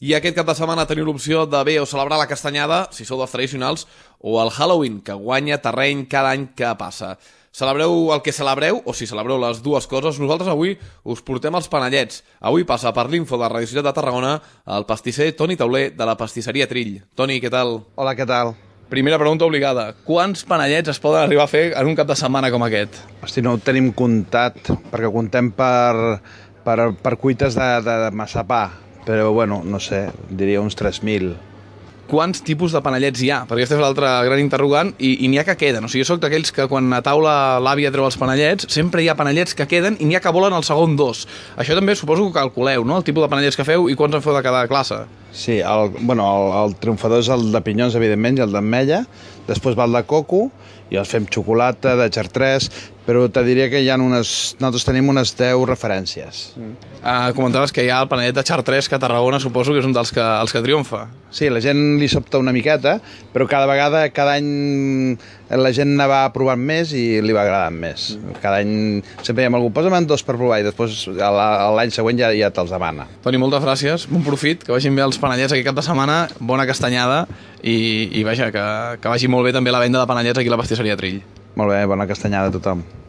I aquest cap de setmana teniu l'opció de bé o celebrar la castanyada, si sou dels tradicionals, o el Halloween, que guanya terreny cada any que passa. Celebreu el que celebreu, o si celebreu les dues coses, nosaltres avui us portem els panellets. Avui passa per l'Info de Radio Ciutat de Tarragona el pastisser Toni Tauler de la pastisseria Trill. Toni, què tal? Hola, què tal? Primera pregunta obligada. Quants panellets es poden arribar a fer en un cap de setmana com aquest? Hosti, no ho tenim comptat, perquè comptem per cuites de massapà, però bueno, no sé, diria uns 3.000. Quants tipus de panellets hi ha? Perquè aquesta és l'altra gran interrogant i n'hi ha que queden. O sigui, jo soc d'aquells que quan a taula l'àvia treu els panellets, sempre hi ha panellets que queden i n'hi ha que volen el segon dos. Això també suposo que calculeu, no? El tipus de panellets que feu i quants en feu de cada classe. Sí, el triomfador és el de pinyons, evidentment, i el d'ametlla. Després va el de coco, i els fem xocolata, de xartrès, però te diria que nosaltres tenim unes 10 referències. Comentaves que hi ha el panellet de xartrès, que a Tarragona suposo que és un dels que triomfa. Sí, la gent li sobta una miqueta, però cada any la gent ne va provant més i li va agradant més. Cada any sempre hi ha algú, posa'm dos per provar, i després l'any següent ja te'ls demana. Toni, moltes gràcies, bon profit, que vagin bé els panellets aquest cap de setmana, bona castanyada i vaja, que vagi molt bé també la venda de panellets aquí a la pastisseria Trill. Molt bé, bona castanyada a tothom.